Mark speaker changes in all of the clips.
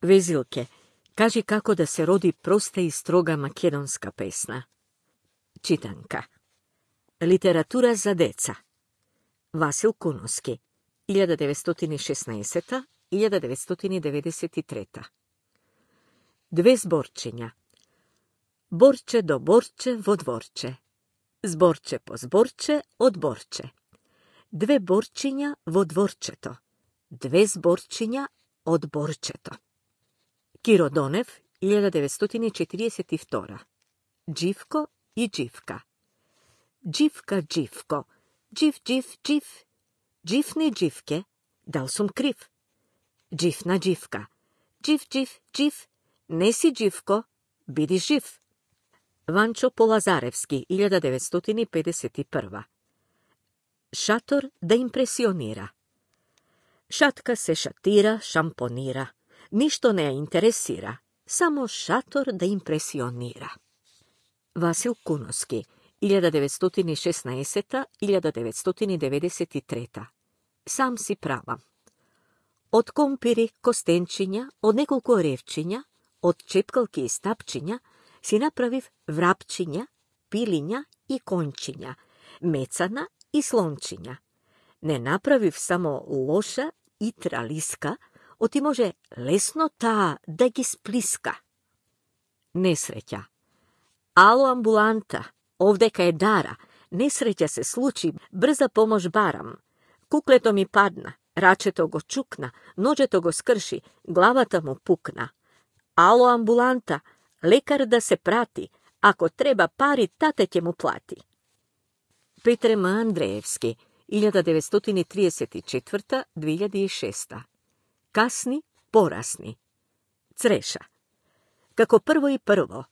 Speaker 1: Везилке, кажи како да се роди проста и строга македонска песна. Читанка. Литература за деца. Васил Куновски, 1916-1993. Две зборчиња. Борче до борче во дворче. Зборче по зборче од борче. Две борчиња во дворчето. Две зборчиња од борчето. Киро Донев, 1942. Дживко и Дживка. Дживка, Дживко, джив, джив, джив. Дживни Дживке, дал сум крив. Дживна Дживка, джив, джив, джив. Не си Дживко, биди жив. Ванчо Полазаревски, 1951. Шатор да импресионира. Шатка се шатира, шампонира. Ништо не ја интересира. Само шатор да импресионира. Васил Куновски, 1916-1993. Сам си правам. Од компири, костенчиња, од неколку ревчиња, од чепкалки и стапчиња, си направив врапчиња, пилиња и кончиња, мецана и слончиња. Не направив само лоша и тралиска, оти може лесно таа да ги сплиска. Несреќа. Ало, амбуланта, овдека е Дара. Несреќа се случи, брза помош барам. Куклето ми падна, рачето го чукна, ноџето го скрши, главата му пукна. Ало, амбуланта, лекар да се прати, ако треба пари, тате ќе му плати. Петре М. Андреевски, 1934-2006. Касни, порасни. Цреша. Како прво и прво,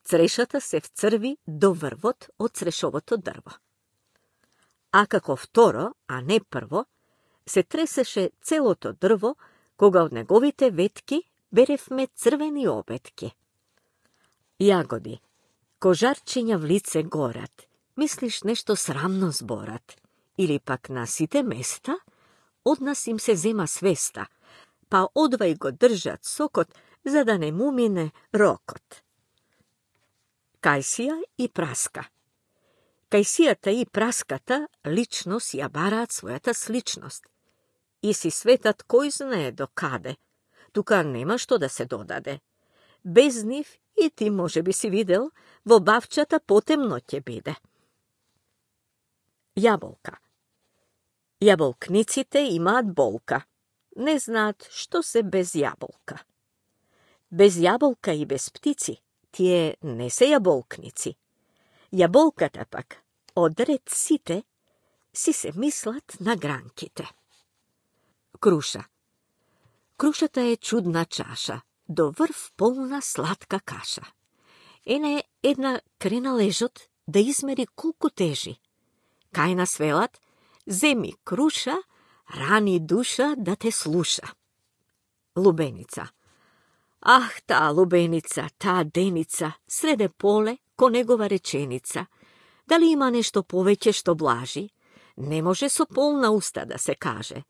Speaker 1: црешата се вцрви до врвот од црешовото дрво. А како второ, а не прво, се тресеше целото дрво, кога од неговите ветки беревме црвени обетки. Јагоди. Кожарчиња в лице горат. Мислиш нешто срамно зборат. Или пак на сите места, од нас им се зема свеста, па одвај го држат сокот, за да не му мине рокот. Кајсија и праска. Кајсијата и праската лично си ја бараат својата сличност. И си светат кој знае до каде. Тука нема што да се додаде. Без нив и ти може би си видел, во бавчата потемно ќе биде. Јаболка. Јаболкниците имаат болка. Не знаат што се без јаболка. Без јаболка и без птици, тие не се јаболкници. Јаболката пак, одред сите, си се мислат на гранките. Круша. Крушата е чудна чаша, до врв полна сладка каша. Ене една крена лежот да измери колку тежи. Кај нас велат, земи круша, рани душа да те слуша. Лубеница. Ах, таа лубеница, таа деница, среде поле, ко негова реченица. Дали има нешто повеќе што блажи? Не може со полна уста да се каже.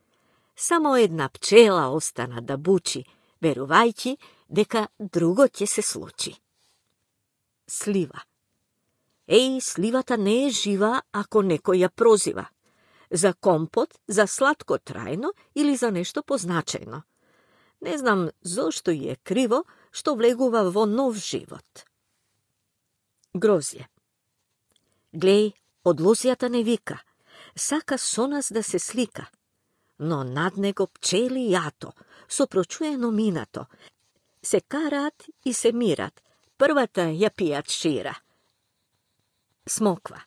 Speaker 1: Само една пчела остана да бучи, верувајќи дека друго ќе се случи. Слива. Еј, сливата не е жива ако некој ја прозива. За компот, за сладко трајно или за нешто позначајно. Не знам зошто е криво што влегува во нов живот. Грозје. Глеј, од лозјата не вика, сака со нас да се слика, но над него пчели јато, со прочуено минато, се караат и се мират, првата ја пијат шира. Смоква.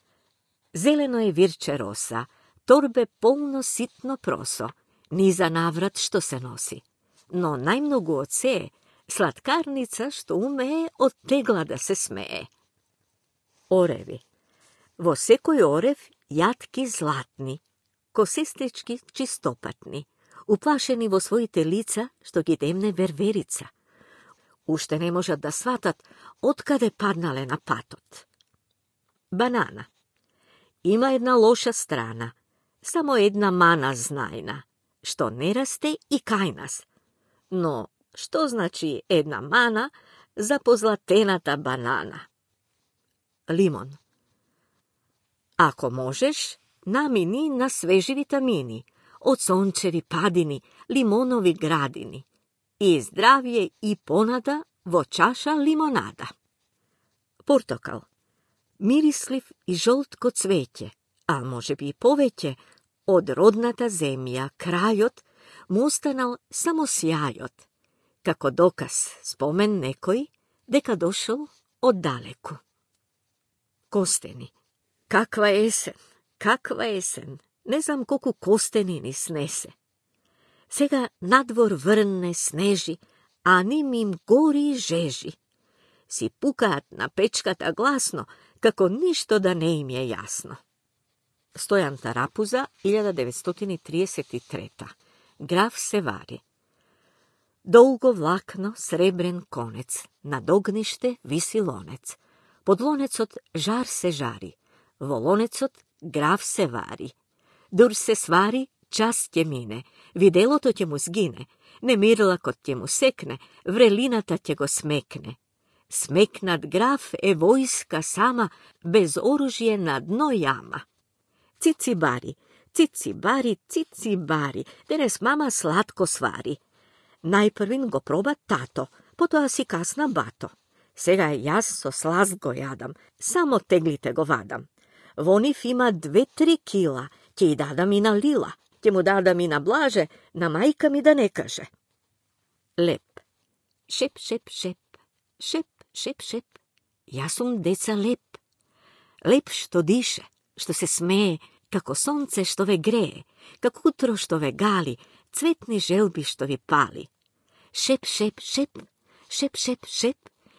Speaker 1: Зелено е вирче роса, торбе полно ситно просо, низа наврат што се носи. Но најмногу од се сладкарница што умее од тегла да се смее. Ореви. Во секој орев јатки златни, косестички чистопатни, уплашени во своите лица што ги демне верверица. Уште не можат да сватат откаде паднале на патот. Банана. Има една лоша страна, само една мана знајна, што не расте и кај нас, но што значи една мана за позлатената банана. Лимон. Ако можеш, намини на свежи витамини, од сончеви падини, лимонови градини, и здравје и понада во чаша лимонада. Портокал. Мирислив и жолт ко цвеќе, а може би и повеќе, од родната земја, крајот, му останал само сјајот, како доказ, спомен некој, дека дошол оддалеку. Костени. Каква есен, каква есен, не знам колку костени ни снесе. Сега надвор врне, снежи, а ним им гори и жежи. Си пукаат на печката гласно, како ништо да не им е јасно. Стојан Тарапуза, 1933. Граф се вари. Долго влакно, сребрен конец, над огниште виси лонец. Под лонецот жар се жари, во лонецот граф се вари. Дур се свари, час ќе мине, виделото ќе му сгине, немирлакот ќе му секне, врелината ќе го смекне. Смекнат граф е војска сама, без оружје на дно јама. Цици бари, цици бари, цици бари, денес мама сладко свари. Најпрвин го проба тато, потоа си касна бато. Сега јас со сласт го јадам, само теглите го вадам. Во нив има 2-3 кила, ќе и дадам и на Лила, ќе му дадам и на Блаже, на мајка ми да не каже. Леп. Шеп, шеп, шеп, шеп, шеп, шеп. Јас сум деца леп. Леп што дише, што се смее, како сонце што ве грее, како утро што ве гали, цветни желби што ви пали. Шеп, шеп, шеп, шеп, шеп, шеп.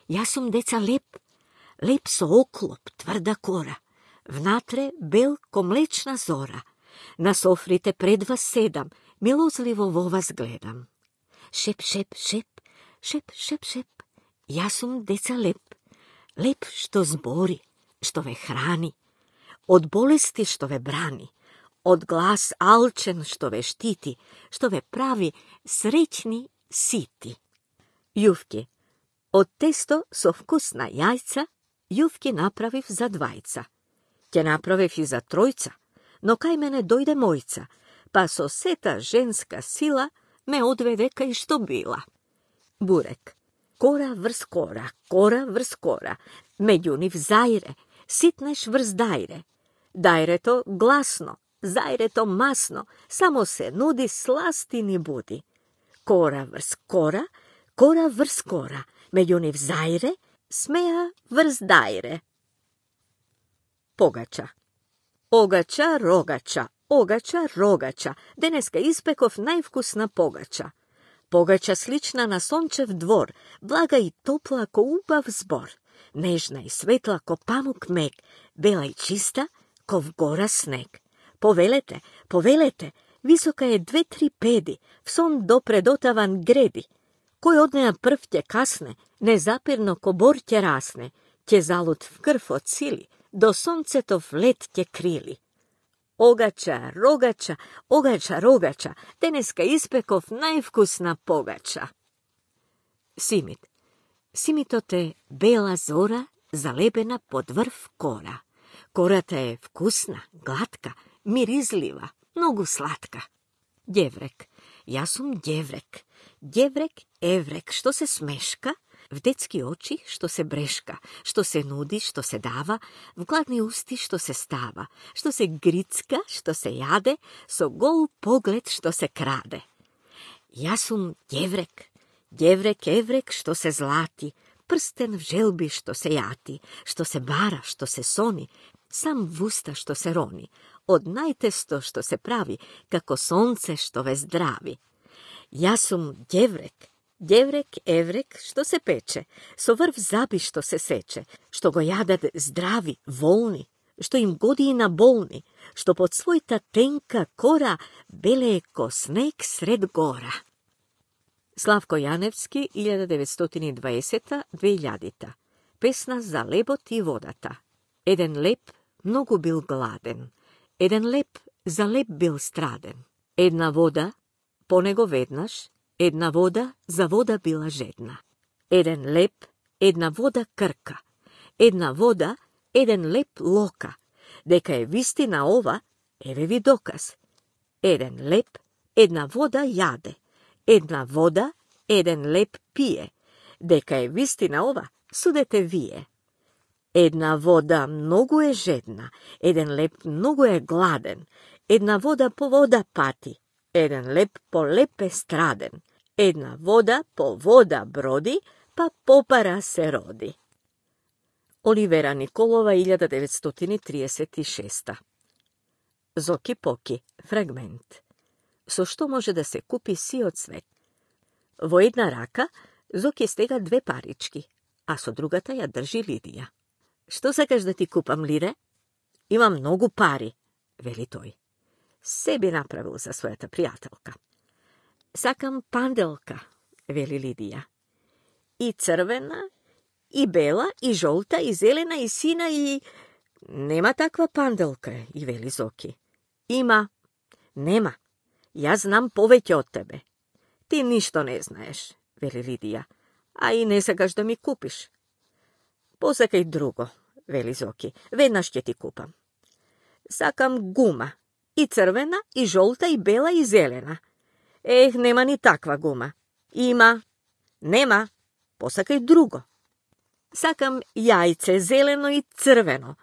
Speaker 1: Јас сум деца леп. Леп со оклоп, тврда кора. Внатре бел ко млечна зора. На софрите пред вас седам, милозливо во вас гледам. Шеп, шеп, шеп, шеп, шеп, шеп. Јас сум деца леп. Леп што збори, што ве храни. Од болести што ве брани. Од глас алчен што ве штити, што ве прави среќни сити. Јувки. Од тесто со вкус на јајца, јувки направив за двајца. Ќе направив и за тројца, но кај мене дојде мојца, па со сета женска сила ме одведе кај што била. Бурек. Кора врз кора, кора врз кора, меѓу нив зајре, ситнеш врз дајре. Дајрето гласно, зајрето масно, само се нуди, сласти ни буди. Кора врз кора, кора врз кора, меѓу нив зајре, смеа врз дајре. Погача. Огача, рогача, огача, рогача, денеска испеков највкусна погача. Погача слична на сончев двор, блага и топла ко убав збор, нежна и светла ко памук мек, бела и чиста ко вгора снег. Повелете, повелете, висока е 2-3 педи, в сон допредотаван греди. Кој од неа прв ќе касне, незапирно ко бор ќе расне, ќе залут в крв од сили, до сонцето в лед ќе крили. Огача, рогача, огача, рогача, денеска испеков највкусна погача. Симит. Симитот е бела зора, залепена под врв кора. Кората е вкусна, глатка, миризлива, многу сладка. Ѓеврек. Јас сум ѓеврек. Ѓеврек, еврек, што се смешка, в детски очи што се брешка, што се нуди, што се дава, в гладни усти што се става, што се грицка, што се јаде, со гол поглед што се краде. Јас сум ѓеврек. Ѓеврек, еврек, што се злати, прстен в желби што се јати, што се бара, што се сони, сам в уста што се рони, од најтесто што се прави, како сонце што ве здрави. Јас сум ѓеврек. Ѓеврек, еврек, што се пече, со врв заби што се сече, што го јадат здрави, волни, што им годи и на болни, што под својта тенка кора белее ко снег сред гора. Славко Јаневски, 1920-2000. Песна за лебот и водата. Еден леп многу бил гладен. Еден леп за леп бил страден. Една вода, по него веднаш, Една вода за вода била жедна. Еден леп, една вода крка. Една вода, еден леп лока. Дека е вистина ова, еве ви доказ. Еден леп, една вода јаде. Една вода, еден леп пие. Дека е вистина ова, судете вие. Една вода многу е жедна, еден леп многу е гладен. Една вода по вода пати, еден леп по леп е страден. Една вода по вода броди, па попара се роди. Оливера Николова, 1936. Зоки Поки, фрагмент. Со што може да се купи сиот свет? Во една рака Зоки стега 2 парички, а со другата ја држи Лидија. Што сакаш да ти купам, Лире? Има многу пари, вели тој. Се би направил за својата пријателка. Сакам панделка, вели Лидија. И црвена, и бела, и жолта, и зелена, и сина, и... Нема таква панделка, и вели Зоки. Има. Нема. Јас знам повеќе од тебе. Ти ништо не знаеш, вели Лидија, а и не сакаш да ми купиш. Посакај друго, вели Зоки. Веднаш ќе ти купам. Сакам гума. И црвена, и жолта, и бела, и зелена. Ех, нема ни таква гума. Има. Нема. Посакај друго. Сакам јајце, зелено и црвено.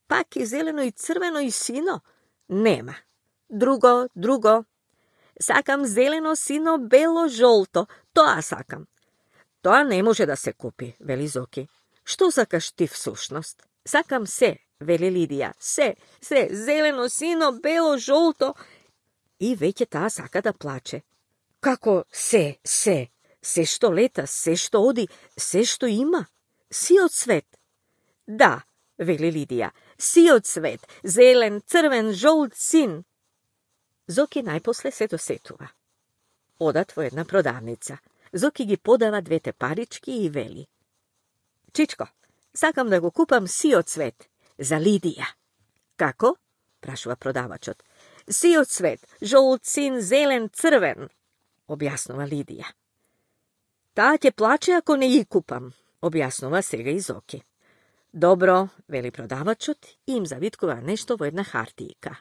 Speaker 1: Пак и зелено и црвено и сино? Нема. Друго. Сакам зелено, сино, бело, жолто. Тоа сакам. Тоа не може да се купи, вели Зоки. Што сакаш ти всушност? Сакам се, вели Лидија. Се, зелено, сино, бело, жолто. И веќе таа сака да плаче. Како се? Се што лета, се што оди, се што има. Сиот свет. Да, вели Лидија. Сиот свет. Зелен, црвен, жолт, син. Зоки најпосле се досетува. Одат во една продавница. Зоки ги подава 2 парички и вели. Чичко, сакам да го купам сиот цвет за Лидија. Како? Прашува продавачот. Сиот цвет, жолт, син, зелен, црвен, објаснува Лидија. Таа ќе плаче ако не ја купам, објаснува сега и Зоки. Добро, вели продавачот и им завиткува нешто во една хартијка.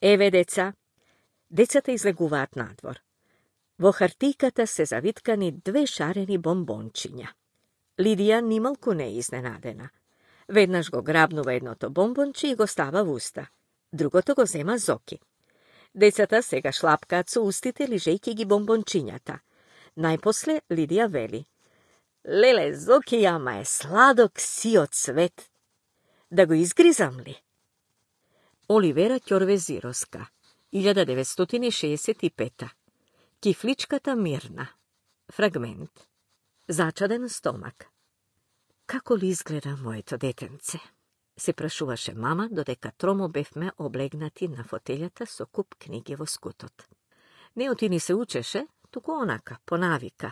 Speaker 1: Еве, деца. Децата излегуваат надвор. Во хартијката се завиткани 2 шарени бомбончиња. Лидија нималку не е изненадена. Веднаш го грабнува едното бомбонче и го става во уста. Другото го зема Зоки. Децата сега шлапкаат со устите, лижејќи ги бомбончињата. Најпосле Лидија вели. Леле, Зоки, ама е сладок сиот цвет. Да го изгризам ли? Оливера Ќорвезировска, 1965. Кифличката Мирна. Фрагмент. Зачаден стомак. Како ли изгледа моето детенце? Се прашуваше мама, додека тромо бевме облегнати на фотелјата со куп книги во скутот. Неоти ни се учеше, туку онака, по навика.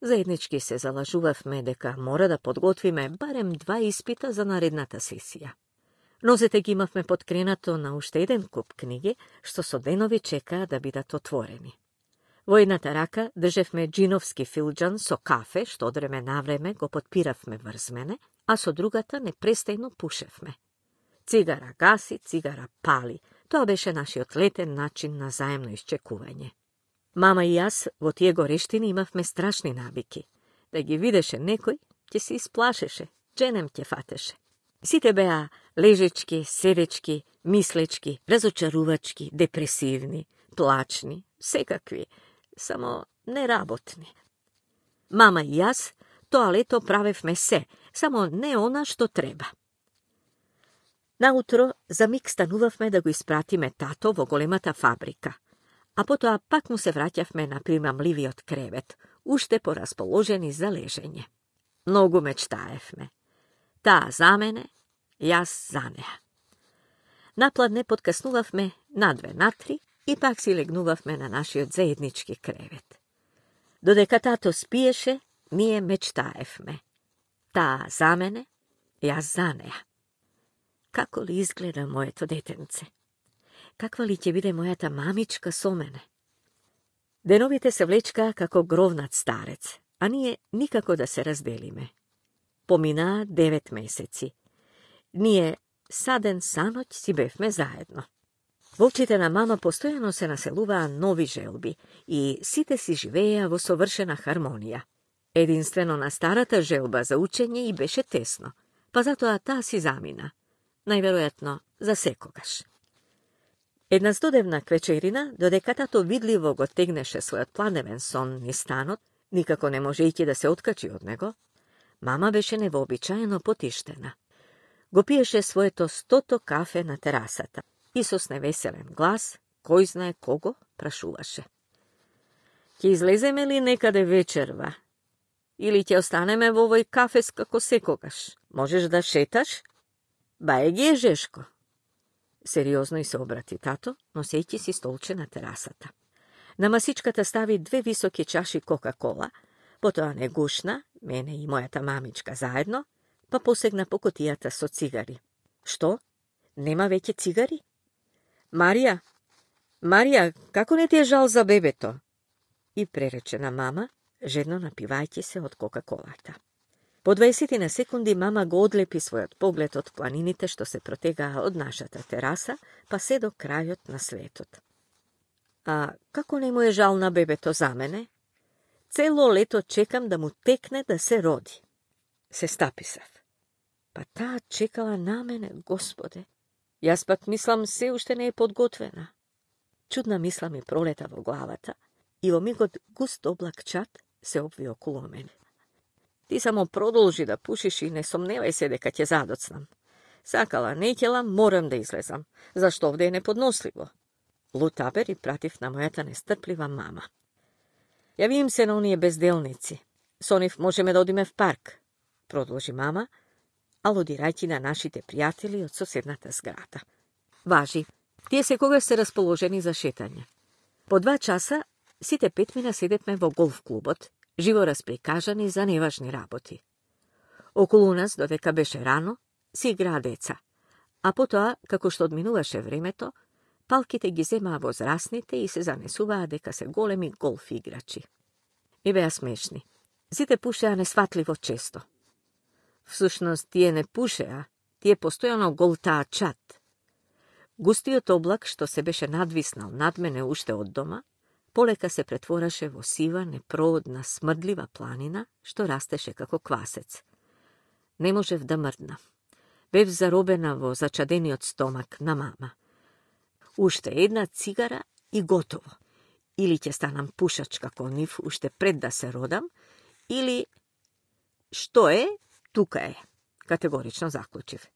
Speaker 1: Заеднички се залажувавме дека мора да подготвиме барем 2 испита за наредната сесија. Нозете ги имавме подкренато на уште еден куп книги, што со денови чекаа да бидат отворени. Во едната рака држевме джиновски филџан со кафе, што од време на време го подпиравме врз мене, а со другата непрестајно пушевме. Цигара гаси, цигара пали. Тоа беше нашиот летен начин на заемно исчекување. Мама и јас во тие горештини имавме страшни навики. Да ги видеше некој, ќе се исплашеше, дженем ќе фатеше. Сите беа лежечки, седечки, мислечки, разочарувачки, депресивни, плачни, секакви, само неработни. Мама и јас тоа лето правевме се, само не она што треба. Наутро за миг станувавме да го испратиме тато во големата фабрика, а потоа пак му се враќавме на примамливиот кревет, уште порасположени за лежење. Многу мечтаевме. Таа за мене, јас за неа. Напладне подкаснувавме на 2 на 3 и пак си легнувавме на нашиот заеднички кревет. Додека тато спиеше, ние мечтаевме. Таа за мене, јас за неа. Како ли изгледа моето детенце? Каква ли ќе биде мојата мамичка со мене? Деновите се влечка како гровнат старец, а ние никако да се разделиме. Поминаа 9 месеци. Ние саден саноќ си бевме заедно. Во очите на мама постојано се населуваа нови желби и сите си живееа во совршена хармонија. Единствено на старата желба за учење и беше тесно, па затоа таа си замина, најверојатно за секогаш. Една студевна квечерина, додека тато видливо го тегнеше својот пладневен сон низ станот, никако не можејќи да се откачи од него, мама беше невообичаено потиштена. Го пиеше своето 100-то кафе на терасата и со невеселен глас, кој знае кого, прашуваше. Ќе излеземе ли некаде вечерва? Или ќе останеме во овој кафес како секогаш? Можеш да шеташ? Бај ги е Жешко. Сериозно и се обрати тато, носејќи си столче на терасата. На масичката стави 2 високи чаши Кока-кола, потоа не гушна, мене и мојата мамичка заедно, па посегна по кутијата со цигари. Што? Нема веќе цигари? Марија, како не ти е жал за бебето? И пререче на мама, жедно напивајќи се од Кока-колата. По 20 на секунди мама го одлепи својот поглед од планините што се протегаа од нашата тераса, па се до крајот на светот. А како не му е жал на бебето за мене? Цело лето чекам да му текне да се роди. Се стаписав. Па таа чекала на мене, Господе. Јас пак мислам се уште не е подготвена. Чудна мисла ми пролета во главата и во мигот густ облак чад се обви околу мене. Ти само продолжи да пушиш и не сомневај се дека ќе задоцнам. Сакала, не ќела, морам да излезам, зашто овде е неподносливо. Лутабер и пратив на мојата нестрплива мама. Јавим се на оние безделници. Со нив можеме да одиме в парк, продолжи мама, алудирајќи на нашите пријатели од соседната зграда. Важи, тие секогаш се расположени за шетање. По 2 часа сите 5 мина седевме во голф клубот, живо расприкажани за неважни работи. Околу нас, додека беше рано, си играа деца, а потоа, како што одминуваше времето, палките ги земаа возрастните и се занесуваа дека се големи голф играчи. И беа смешни. Сите пушеа несватливо често. Всушност, тие не пушеа, тие постојано голтаа чад. Густиот облак, што се беше надвиснал над мене уште од дома, полека се претвораше во сива, непроодна, смрдлива планина, што растеше како квасец. Не можев да мрдна. Бев заробена во зачадениот стомак на мама. Уште една цигара и готово. Или ќе станам пушач како нив уште пред да се родам, или... Што е, тука е, категорично заклучив.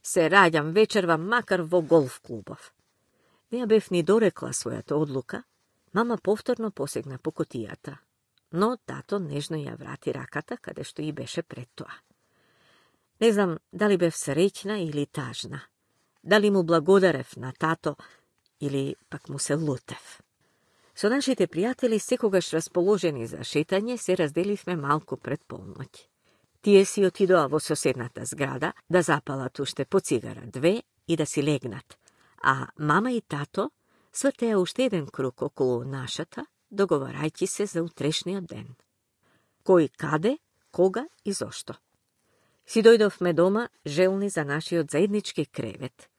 Speaker 1: Се раѓам вечерва макар во голф клубов. Не ја бев ни дорекла својата одлука, мама повторно посегна по кутијата, но тато нежно ја врати раката каде што и беше пред тоа. Не знам дали бев среќна или тажна, дали му благодарев на тато или пак му се лутев. Со нашите пријатели, секогаш расположени за шетање, се разделивме малку пред полноќ. Тие си отидоа во соседната зграда да запалат уште по цигара 2 и да си легнат, а мама и тато свртеа уште еден круг околу нашата, договарајќи се за утрешниот ден. Кој каде, кога и зошто. Си дојдовме дома желни за нашиот заеднички кревет.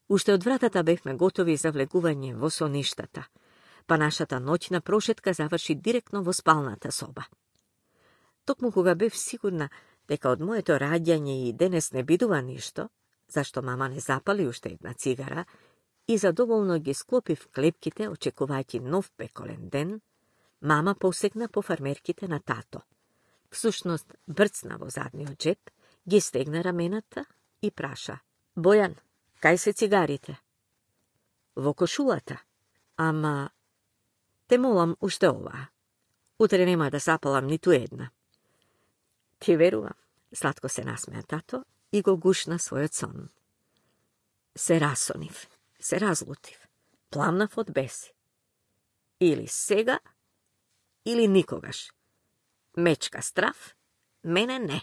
Speaker 1: Уште од вратата бевме готови за влегување во соништата, па нашата ноќна прошетка заврши директно во спалната соба. Токму кога бев сигурна дека од моето раѓање и денес не бидува ништо, зашто мама не запали уште една цигара, и задоволно ги склопив клепките, очекувајќи нов пеколен ден, мама посегна по фармерките на тато. Всушност, брцна во задниот джеп, ги стегна рамената и праша: Бојан, кај се цигарите? Во кошулата. Ама, те молам уште оваа. Утре нема да запалам ниту една. Ти верувам, сладко се насмеа тато и го гушна својот сон. Се расонив, се разлутив, пламнав од беси. Или сега, или никогаш. Мечка страв, мене не.